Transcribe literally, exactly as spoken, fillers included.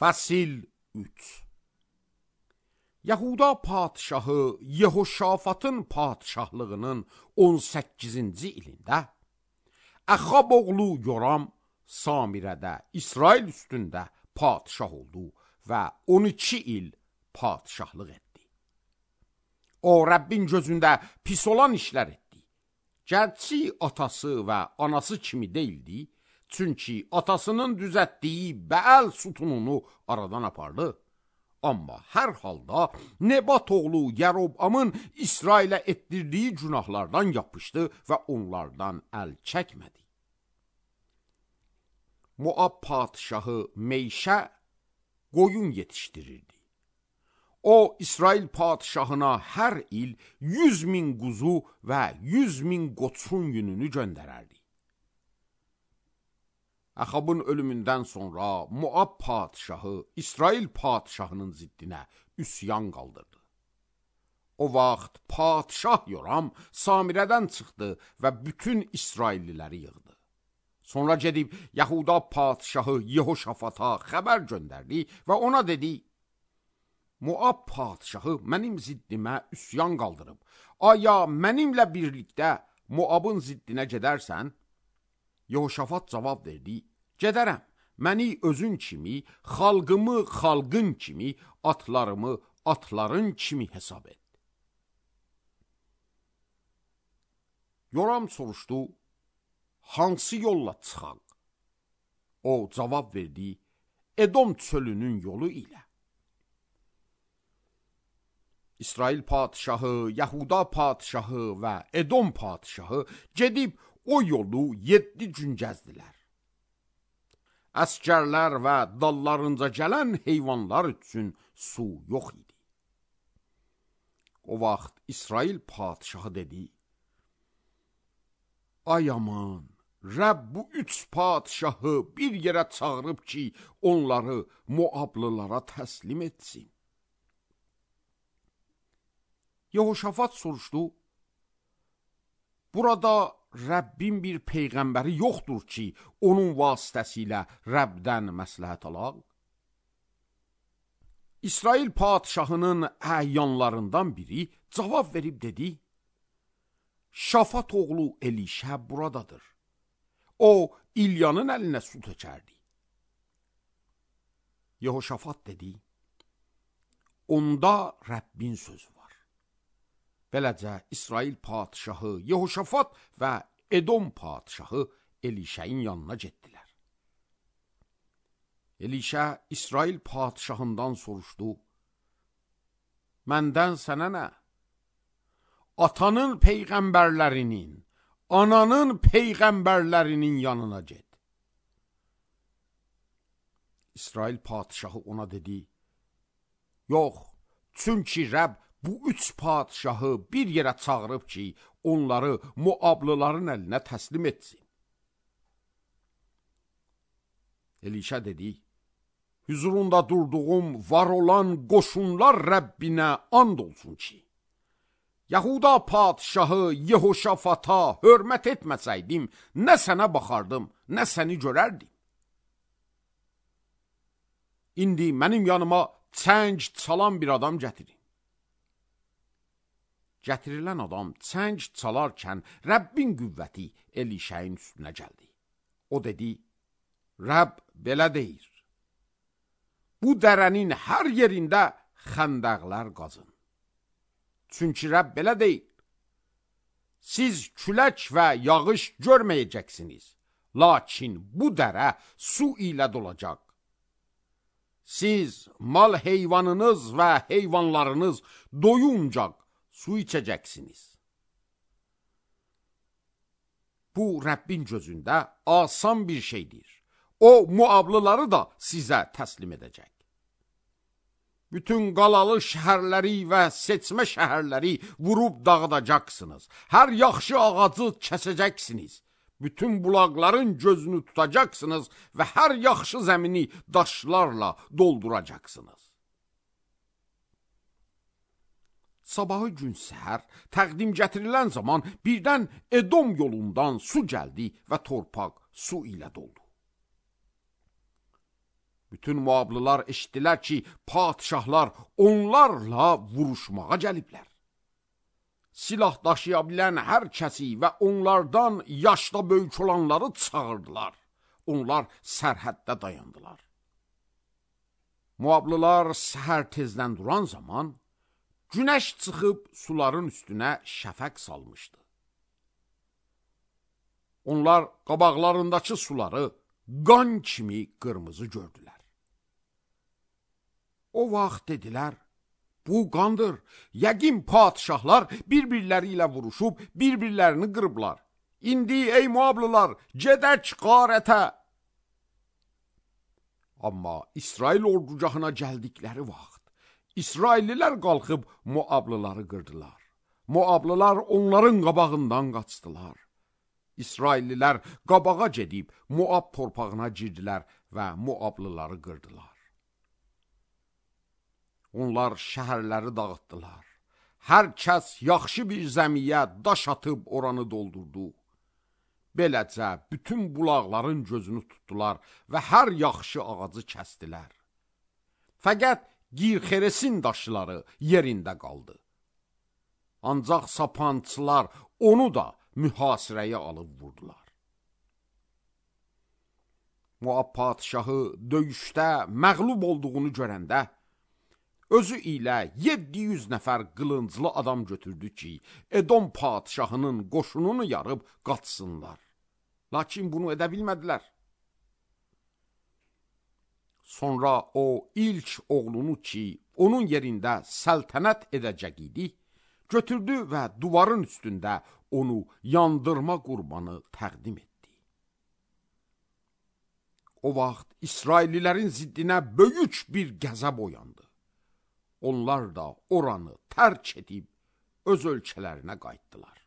Fəsil üç. Yahuda padişahı Yehoşafatın padişahlığının on səkkizinci ilində Əxab oğlu Yoram Samirədə İsrail üstündə padişah oldu və on iki il padişahlıq etdi. O, Rəbbin gözündə pis olan işlər etdi. Gərçi atası və anası kimi deyildi, çünki atasının düzətdiyi Bəəl sütununu aradan apardı. Amma hər halda Nebat oğlu Yərobamın İsrailə etdirdiyi günahlardan yapışdı və onlardan əl çəkmədi. Moab padişahı Meyşə qoyun yetişdirirdi. O, İsrail padişahına hər il yüz min quzu və yüz min qoçun yününü göndərərdi. Əxabın ölümündən sonra Moab padişahı İsrail padişahının ziddinə üsyan qaldırdı. O vaxt padişah Yoram Samirədən çıxdı və bütün İsrailliləri yığdı. Sonra gedib Yahuda padişahı Yehoşafata xəbər göndərdi və ona dedi: Moab padişahı mənim ziddimə üsyan qaldırıb. Aya mənimlə birlikdə Moabın ziddinə gedərsən? Yehoşafat cavab verdi: Gedərəm, məni özün kimi, xalqımı xalqın kimi, atlarımı atların kimi hesab et. Yoram soruşdu: Hansı yolla çıxaq? O cavab verdi: Edom çölünün yolu ilə. İsrail padişahı, Yahuda padişahı və Edom padişahı gedib o yolu yeddi gün gəzdilər. Əskərlər və dallarınca gələn heyvanlar üçün su yox idi. O vaxt İsrail padişahı dedi: Ay aman, Rəbb bu üç padişahı bir yerə çağırıb ki, onları Moablılara təslim etsin. Yehoşafat soruşdu: Burada Rəbbin bir peyğəmbəri yoxdur ki, onun vasitəsilə Rəbdən məsləhət alaq? İsrail padişahının əyanlarından biri cavab verib dedi: Şafat oğlu Elişə buradadır. O, İlyanın əlinə su tökərdi. Yehoşafat dedi: Onda Rəbbin sözü var. Beləcə İsrail padişahı Yehoşafat və Edom padişahı Elişəyin yanına getdilər. Elişə İsrail padişahından soruşdu: Məndən sənə nə? Atanın peyğəmbərlərinin, ananın peyğəmbərlərinin yanına get. İsrail padişahı ona dedi: Yox, çünki Rəbb bu üç padişahı bir yerə çağırıb ki, onları Moablıların əlinə təslim etsin. Elişə dedi: Hüzurunda durduğum var olan qoşunlar Rəbbinə and olsun ki, Yahuda padişahı Yehoşafata hörmət etməsəydim, nə sənə baxardım, nə səni görərdim. İndi mənim yanıma çəng çalan bir adam gətirin. Gətirilən adam çəng çalarkən Rəbbin qüvvəti Elişəyin üstünə gəldi. O dedi: Rəbb belə deyir: Bu dərənin hər yerində xəndəqlər qazın. Çünki Rəbb belə deyir: Siz külək və yağış görməyəcəksiniz, lakin bu dərə su ilə dolacaq. Siz mal heyvanınız və heyvanlarınız doyuncaq su içəcəksiniz. Bu, Rəbbin gözündə asan bir şeydir. O, Moablıları da sizə təslim edəcək. Bütün qalalı şəhərləri və seçmə şəhərləri vurub dağıdacaqsınız. Hər yaxşı ağacı kəsəcəksiniz. Bütün bulaqların gözünü tutacaqsınız və hər yaxşı zəmini daşlarla dolduracaqsınız. Sabahı gün səhər təqdim gətirilən zaman birdən Edom yolundan su gəldi və torpaq su ilə doldu. Bütün Moablılar eşitdilər ki, padişahlar onlarla vuruşmağa gəliblər. Silah daşıya bilən hər kəsi və onlardan yaşda böyük olanları çağırdılar. Onlar sərhəddə dayandılar. Moablılar səhər tezdən duran zaman, günəş çıxıb suların üstünə şəfəq salmışdı. Onlar qabaqlarındakı suları qan kimi qırmızı gördülər. O vaxt dedilər, bu qandır. Yəqin padişahlar bir-birləri ilə vuruşub, bir-birlərini qırıblar. İndi ey Moablılar, gedək qarətə. Amma İsrail ordugahına gəldikləri vaxt, İsraillilər qalxıb Moablıları qırdılar. Moablılar onların qabağından qaçdılar. İsraillilər qabağa gedib Moab torpağına girdilər və Moablıları qırdılar. Onlar şəhərləri dağıtdılar. Hər kəs yaxşı bir zəmiyə daş atıb oranı doldurdu. Beləcə bütün bulaqların gözünü tutdular və hər yaxşı ağacı kəstdilər. Fəqət Girxeresin daşları yerində qaldı. Ancaq sapançılar onu da mühasirəyə alıb vurdular. Moab padişahı döyüşdə məğlub olduğunu görəndə, özü ilə yeddi yüz nəfər qılınclı adam götürdü ki, Edom padişahının qoşununu yarıb qaçsınlar. Lakin bunu edə bilmədilər. Sonra o ilk oğlunu ki, onun yerində səltənət edəcək idi, götürdü və duvarın üstündə onu yandırma qurbanı təqdim etdi. O vaxt İsraillilərin ziddinə böyük bir qəzəb oyandı. Onlar da oranı tərk edib öz ölkələrinə qayıtdılar.